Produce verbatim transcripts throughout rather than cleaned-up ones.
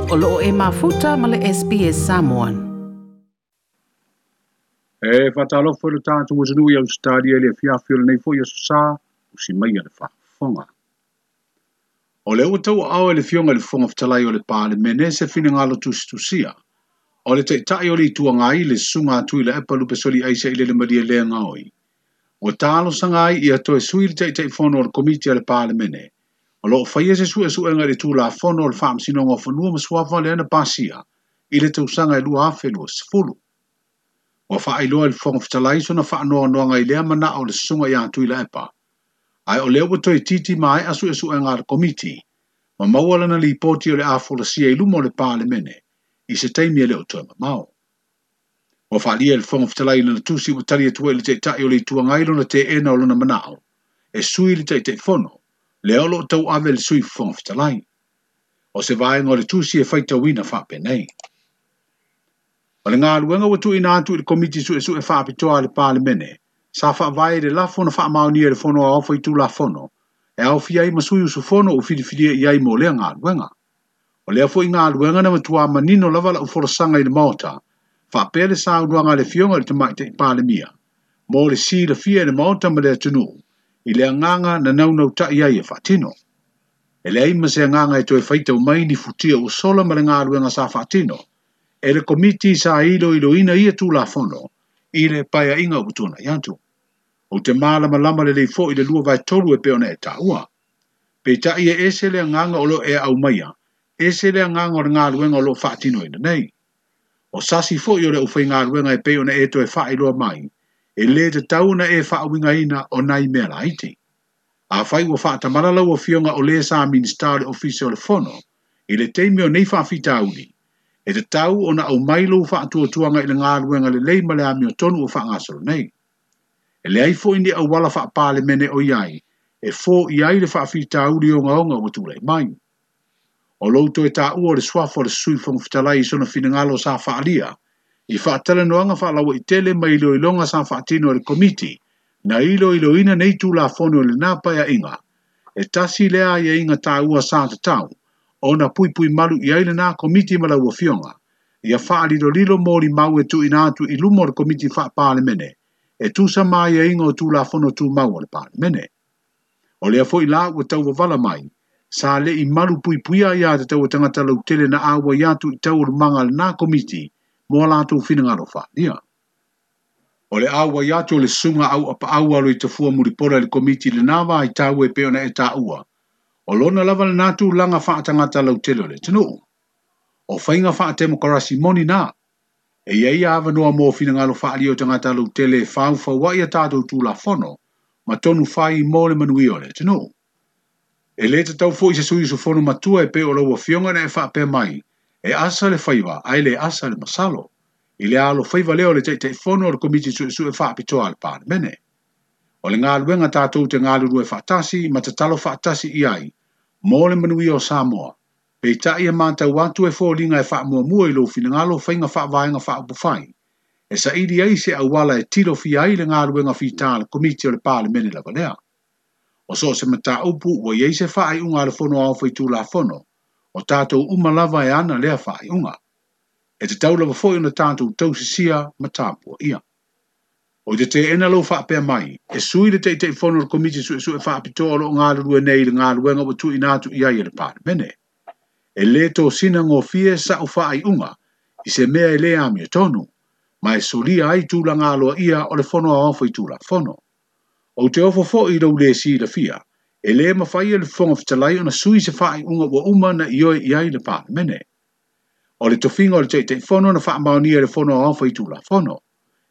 O loo e mafuta ma le S B S Samoan. E whatalofo le tātou atunuu i Australia le fiafi o lenei foi aso sa, usi mai a le faafofoga. O le ua tau ao e le fioga i le Fofoga Fetalai o le Palemene se finagalo tusitusia. O le taitai o le itu agai le susuga atu i le epa lupe soli aisa i le malie le ngaoi. Ua talosaga ai ia toe sui le Taitaifono o le Komiti a le Palemene. O loo faia se suesuega i le Tulafono o le Faamasinoga o Fanua ma Suafa lea na pasia i le tausaga e lua afe lua sefulu. Ua faailoa i le Fofoga Fetalai sona faanoanoaga i lea manao o le susuga ia Tuilaepa. Ae o lea ua toe titi maea suesuega a le Komiti, ma maua lana lipoti o le a folasia i luma o le Palemene i se taimi e le o toe mamao. Ua faalia i le Fofoga Fetalai lana tusi ua tali atu ai i le taitai o le itu agai lona teena o lona manao e sui le Taitaifono, lea o loo tauave le sui Fofoga Fetalai. O se vaega o le tusi e faitauina faapenei. O le galuega ua tuuina atu i le Komiti Suesue Faapitoa a le Palemene, sa faavae i le lafo na faamaonia e le Fono Aoao Faitulafono, e aofia ai ma sui usufono ua filifilia i ai mo lea galuega. O lea foi galuega na matua manino lava lau folasaga i le Maota, faapea le saunoaga a le Afioga i le Tamaitai Palemia, mo le silafia e le Maota ma le atunuu, i le agaga na naunautai ai e faatino. E leai ma se agaga e toe faitau mai ni futia ua sola ma le galuega sa faatino, e le Komiti sa iloiloina ia Tulafono i le paeaiga ua tuanai atu. O te malamalama lelei foi i le lua vae tolu e pei ona e taua. Peitai e ese le agaga o loo e aumaia, ese le agaga o le galuega o loo faatinoina nei. O sasi foi o le aufaigaluega e pei ona e toe faailoa mai, e le tatau ona e faauigaina o nai mea laiti. Afai ua faatamala lau afioga o le sa Minisita o le Ofisa o le Fono, i le taimi o nei faafitauli, e tatau ona aumai lou faatuatuaga i le galuega lelei ma le amiotonu ua faagasolo nei. E leai foi ni auala faapalemene o i ai, e fo'i ai le faafitauli ogaoga ua tulai mai. O lou toe taua o le suafa o le Sui Fofoga Fetalai i sona finagalo sa faalia, i faatalanoaga faalauaitele ma iloiloga sa faatino e le Komiti, na iloiloina nei Tulafono i lena paeaiga, e tasi lea aiaiga taua sa tatau, ona puipui malu i ai lena Komiti ma lau afioga, ia faalilolilo molimau e tuuina atu i luma o le Komiti Faapalemene, e tusa ma aiaiga o Tulafono Tumau o le Palemene. O lea foi la ua tauvavala mai, sa le'i malu puipuia ia tatau o tagata lautele na auai atu i taualumaga a lena Komiti mo a latou finagalo faalia. O le auai atu o le susuga au apaau alo i tafua mulipola i le Komiti lena vaitau e pei ona e taua, o lona lava lena tulaga faatagata lautele o le atunuu. O faiga faatemokarasi moni na, e i ai avanoa mo finagalo faalia o tagata lautele e faufauai a tatou Tulafono ma tonu fai mo le manuia o le atunuu. E le tatau foi se sui usufono matua e pei o lau afioga na e faapea mai, e asa le faiva ae le asa le masalo, i le alo faiva lea o le Taitaifono o le Komiti Suesue Faapitoa a le Palemene. O le galuega tatou te galulue faatasi ma tatalo faatasi i ai, mo le manuia o Samoa. Peitai e matau atu e foliga e faamuamua i lou finagalo faiga faavaega faaupufai, e saili ai se auala e tilofia ai le galuega fita a le Komiti o le Palemene lava lea. O so o se mataupu ua i ai se faaiuga a le Fono Aoao Faitulafono, o tatou uma lava e ana lea faaiuga. E tatau lava foi ona tatou tausisia ma tapuaia. O te teena lou faapea mai, e sui le Taitaifono o le Komiti Suesue Faapitoa o loo galulue nei i le galuega ua tuuina atu i ai e le Palemene. E le tosina gofie sa'u faaiuga i se mea e le amiotonu, ma e solia ai tulaga aloaia o le Fono Aoao Faitulafono. O te ofo foi i lou le silafia, e le mafai e le Fofoga Fetalai ona sui se faaiuga ua uma na ioe i ai le Palemene. O le tofiga o le Taitaifono na faamaonia e le Fono Aoao Faitulafono.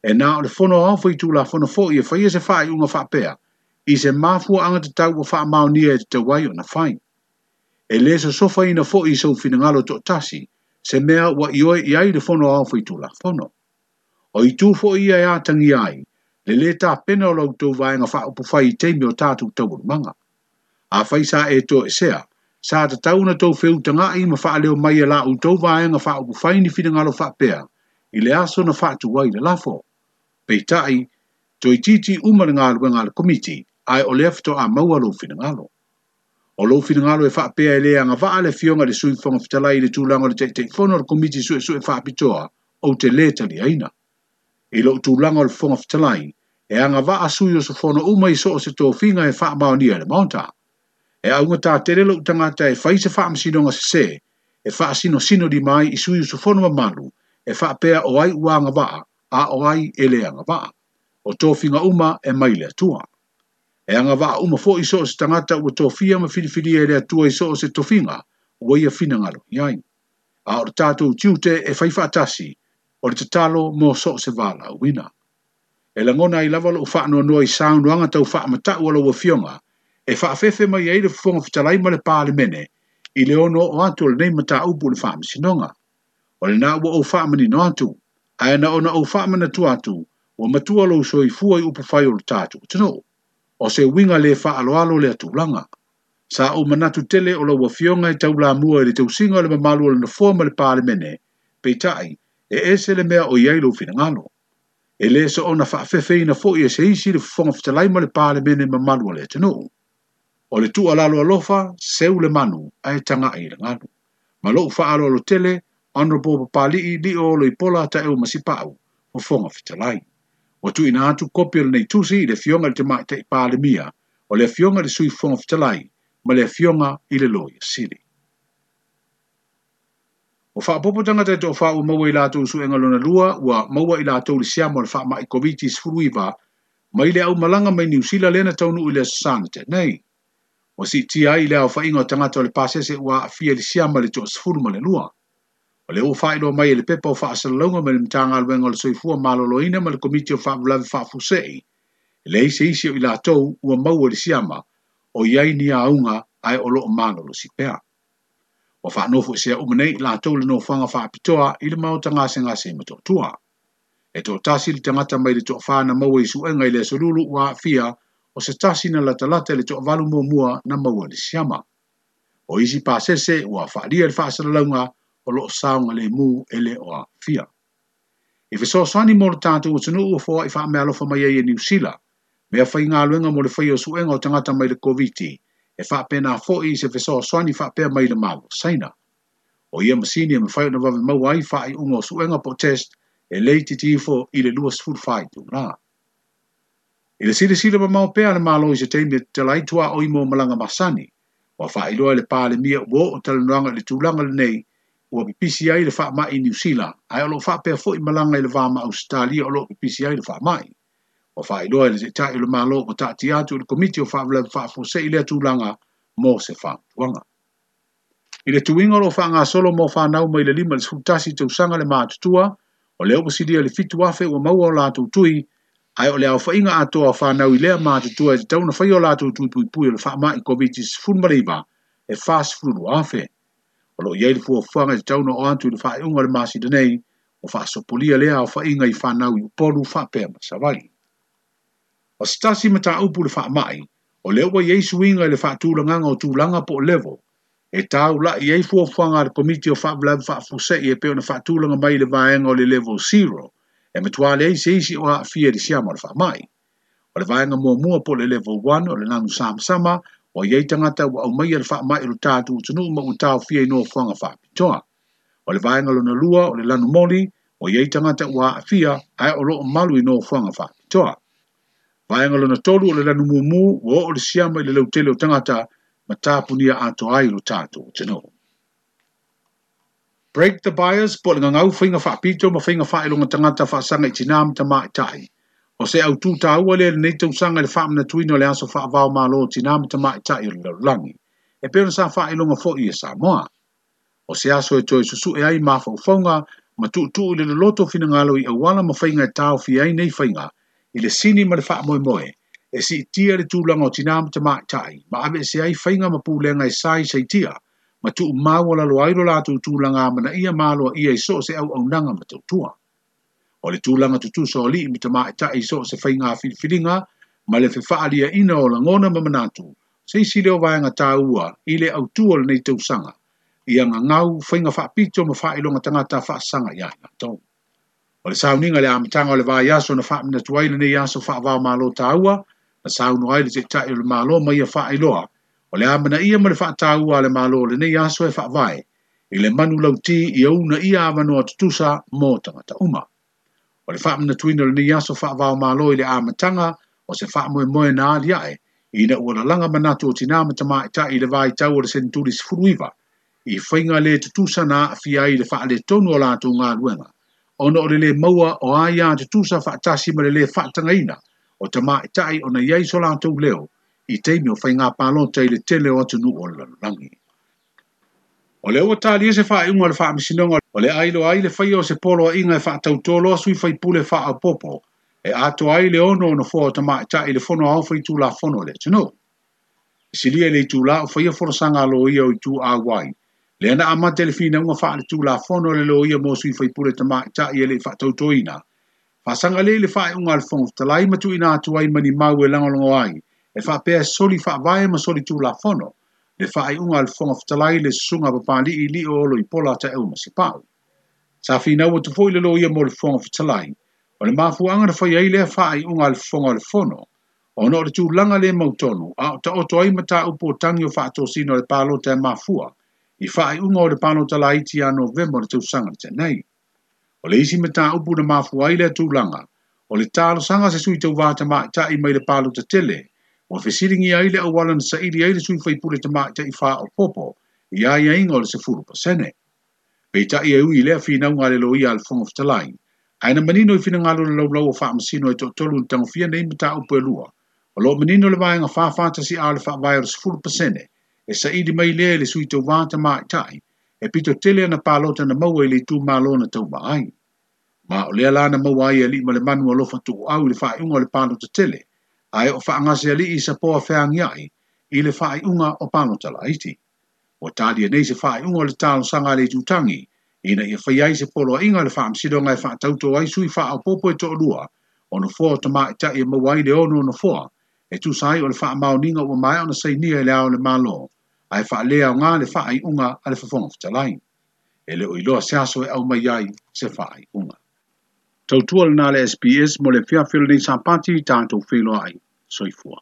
E na o le Fono Aoao Faitulafono foi e faia se faaiuga faapea, i se mafuaaga tatau ua faamaonia e tatau ai ona fai. E le sosofaina foi i sou finagalo toatasi, se mea ua ioe i ai le Fono Aoao Faitulafono. O itu foi ia e atagia ai, le le tapena o la outou vaega faaupufai i taimi o tatou taualumaga. Afai sa e toesea, sa tatau ona tou feutaga'i ma faaleo mai e la outou vaega faaupufai ni finagalo faapea, i le aso na faatu ai le lafo. Peitai, toeitiiti uma le galuega a le Komiti, ae o lea faatoa maua lou finagalo. O lou finagalo e faapea e le agavaa le Afioga i le Sui Fofoga Fetalai i le tulaga o le Taitaifono o le Komiti Suesue Faapitoa, ou te lē taliaina. I lou tulaga o le Fofoga Fetalai, e agavaa sui usufono uma i so o se tofiga e faamaonia e le Maota. E augatā tele lou tagata e fai se faamasinoga sesē, e faasinosino lima ai i sui usufono mamalu, e faapea o ai ua agavaa, a o ai e le agavaa. O tofiga uma e mai le Atua. E agavaa uma foi so o se tagata ua tofia ma filifilia e le Atua i so o se tofiga, ua ia finagalo i ai. A o le tatou tiute e fai faatasi, o le tatalo mo so o se valaauina. E lagona ai lava lou faanoanoa i saunoaga tau faamatau a lau Afioga, e faafefe mai ai le Fofoga Fetalai ma le Palemene i le ono oo atu o lenei mataupu i le faamasinoga. O lena ua ou faamanino atu, ae na ona ou faamanatu atu, ua matua lou soifua i upufai o le tatou atunuu. O se uiga le faaaloalo lea tulaga. Sa ou manatu tele o lau Afioga e taulamua i le tausiga o le mamalu o le Nofoa ma le Palemene, peitai, e ese le mea o i ai lou finagalo. E le soona faafefeina foi e se isi le Fofoga Fetalai ma le Palemene mamalu o le atunuu. O le tuualalo alofa, seu le manu, ae tagai i le galu. Ma lou faaaloalo tele, Honourable Papali'i Lio Oloipola Taeu Masipau, Fofoga Fetalai. Ua tuuina atu kopi o lenei tusi i le Afioga i le Tamaitai Palemia, o le Afioga i le Sui Fofoga Fetalai, ma le Afioga i le Loia Sili. Ua faaopoopo tagata e toafa ua maua i latou suega lona lua, ua maua i latou le siama o le faamai Koviti sefuluiva mai le aumalaga mai Niu Sila lea na taunuu i le Aso Sa na tea nei. Ua siitia ai le aofaiga o tagata o le pasese ua aafia i le siama i le toasefulu ma le lua. O lea ua faailoa mai e le pepa o faasalalauga mai le Matagaluega o le Soifua Maloloina ma le Komiti o Faalavelave Faafuasei, e leai se isi o i latou ua maua i le siama o i ai ni auga ae o loo malolosi pea. Ua faanofoesea uma nei i latou le nofoaga faapitoa i le maota gasegase i Motootua. E toatasi le tagata mai le toafa na maua i suega i le Aso Lulu ua aafia, o se tasi na latalata i le toavalu muamua na maua i le siama. O isi pasese ua faalia le faasalalauga o loo saogalemu e le o aafia. I fesoasoani mo le tatou atunuu ua foai faameaalofa mai ai e Niu Sila, mea faigaluega mo le faia o suega o tagata mai le Koviti, e faapena foi i se fesoasoani faapea mai le Malo o Saina. O ia masini e mafai ona vave maua ai faaiuga o suega po o test e le itiiti ifo i le luasefulu fa itula. I le silasila mamao pea a le Malo i se taimi e tatala ai tuaoi mo malaga masani, ua faailoa e le Palemia ua oo talanoaga i le tulaga lenei ua pipisi ai le faamai i Niu Sila, ae o loo faapea foi malaga i le va ma Ausetalia o loo pipisi ai le faamai. Ua faailoa e le Taitai o le Malo ua taatia atu i le Komiti o Faalavelave Faafuasei lea tulaga mo se fautuaga. I le tuiga o loo faagasolo mo fanau mai le lima i le sefulu tasi tausaga le matutua, o lea ua silia le fitu afe ua maua o latou tui, ae o le aofaiga atoa o fanau i lea matutua e tatau ona faia o latou tui puipui o le faamai Koviti sefulu ma le iva e fasefulu lua afe. O loo i ai le fuafuaga e tatau ona oo atu i le faaiuga o le masina nei, ua faasopolia lea aofaiga i fanau i Upolu faapea ma Savaii. O se tasi mataupu le faamai, o lea ua i ai suiga i le faatulagaga o tulaga po o level, e taulai ai fuafuaga a le Komiti o Faalavelave Faafuasei e pei ona faatulaga mai i le vaega o le level zero, e matua leai se isi o aafia i le siama o le faamai. O le vaega muamua po o le level one o le lanu samasama, ua i ai tagata ua aumaia le faamai o le tatou atunuu ma ua taofia i nofoaga faapitoa. O le vaega lona lua o le lanu moli, ua i ai tagata ua aafia ae o loo malu i nofoaga faapitoa. Vaega lona tolu o le lanu mumu, ua oo le siama i le lautele o tagata ma tapunia atoa ai lo tatou atunuu. Break the bias po o le gagau faiga faapito ma faiga faailoga tagata faasaga i tinā ma tamaitai. O se autū taua lea i lenei tausaga i le faamanatuina o le aso faavao malo o tinā ma tamaitai o le lalolagi, e pei ona sa faailoga foi e Samoa. O se aso e toe susue ai mafaufauga ma tuutuu i le loloto finagalo i auala ma faiga e taofia ai nei faiga i le sini ma le faamoemoe e siitia le tulaga o tinā ma tamaitai ma aveese ai faiga ma pulega e saisaitia ma tuumaualalo ai lo latou tulaga amanaia ma aloaia i so o se auaunaga ma tautua. O le tulaga tutusa o alii ma tamaitai i so o se faiga filifiliga ma le fefaaliaina o lagona ma manatu, se isi lea o vaega taua i le autū o lenei tausaga, ia gagau faiga faapito ma faailoga tagata faasaga ia i latou. O le sauniga i le amataga o le vaiaso na faamanatu ai lenei aso faavaomalo taua, na saunoa ai le Taitai o le Malo ma ia faailoa, O le amanaia ma le faataua a le Malo o lenei aso e faavae i le manulauti ia uunaia avanoa tutusa mo tagata uma. O le faamanatuina o lenei aso faavaomalo i le amataga o se faamoemoe na aliae ina ua lalaga manatu o tinā ma tamaitai i le vaitau o le seneturi sefulu iva i faiga le tutusa na aafia ai le faaletonu o latou galuega ona o le lē maua o aiā tutusa faatasi ma le lē faatagaina o tamaitai ona i ai so latou leo i taimi o faiga palota i le tele o atunuu o le lalolagi. O lea ua talia se faaiuga o le faamasinoga o le ailoa ai le faia o se poloaiga e faatautoloa sui faipule faaopoopo e atoa ai le ono o nofoa o tamaitai i le fono aoao faitulafono o le atunuu. E silia i le itulā o faia folasaga a loia o itu auai, lea na amata i le finauga faaletulafono a le loia mo sui faipule tamaitai e le i faatautoina. Faasaga lea i le faaiuga a le Fofoga Fetalai ma tuuina atu ai ma ni mau e lagolago ai e faapea e soli faavae ma soli tulafono le faaiuga a le Fofoga Fetalai le susuga Papali'i Lio Olo Ipola Taeu Masepau. Sa finau atu foi le loia mo le Fofoga Fetalai o le mafuaaga na fai ai lea faaiuga a le Fofoga o le Fono ona o le tulaga le mautonu a o taoto ai mataupu o tagi o faatosina o le palota e mafua i faaiuga o le palota laiti ia Novema o le tausaga na tea nei. O le isi mataupu na mafua ai lea tulaga o le talosaga a se sui tauvā tamaitai mai le palota tele ua fesiligia ai le auala na saili ai le sui faipule tamaitai faaopoopo i aiaiga o le sefulu pasene. Peitai e ui i lea finauga a le loia a le Fofoga Fetalai, ae na manino i finagalo o le laulau o faamasino e toatolu na tagofia nei mataupu e lua, o lo o manino le vaega fa fa tasi a o le faavae o le sefulu pasene e saili mai lea i le sui tauvā tamaitai e pito tele ana palota na maua i le itumalo na tauva ai. Ma o lea la na maua ai e Aliimalemanu alofa tuuau i le faaiuga o le palota tele, ae o Faagasealii Sapoa feagiai i le faaiuga o palota laiti. Ua talia nei se faaiuga o le talosaga a le itutagi ina ia fai ai se poloaiga a le faamasinoga e faatauto ai sui faaopoopo e toalua o nofoa o tamaitai e maua ai le ono o nofoa e tusa ai o le faamaoniga ua maea ona sainia e le Ao o le Malo ae faaleaoga le faaiuga a le Fofoga Fetalai. E le o iloa se aso e aumai ai se faaiuga. Tautua lena le S B S mo le afiafi o lenei Sapati tatou feiloai. Soifua.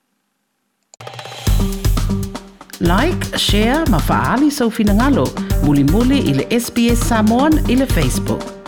Like, share ma faaali sou finagalo. Mulimuli i le S B S Samoan i le Facebook.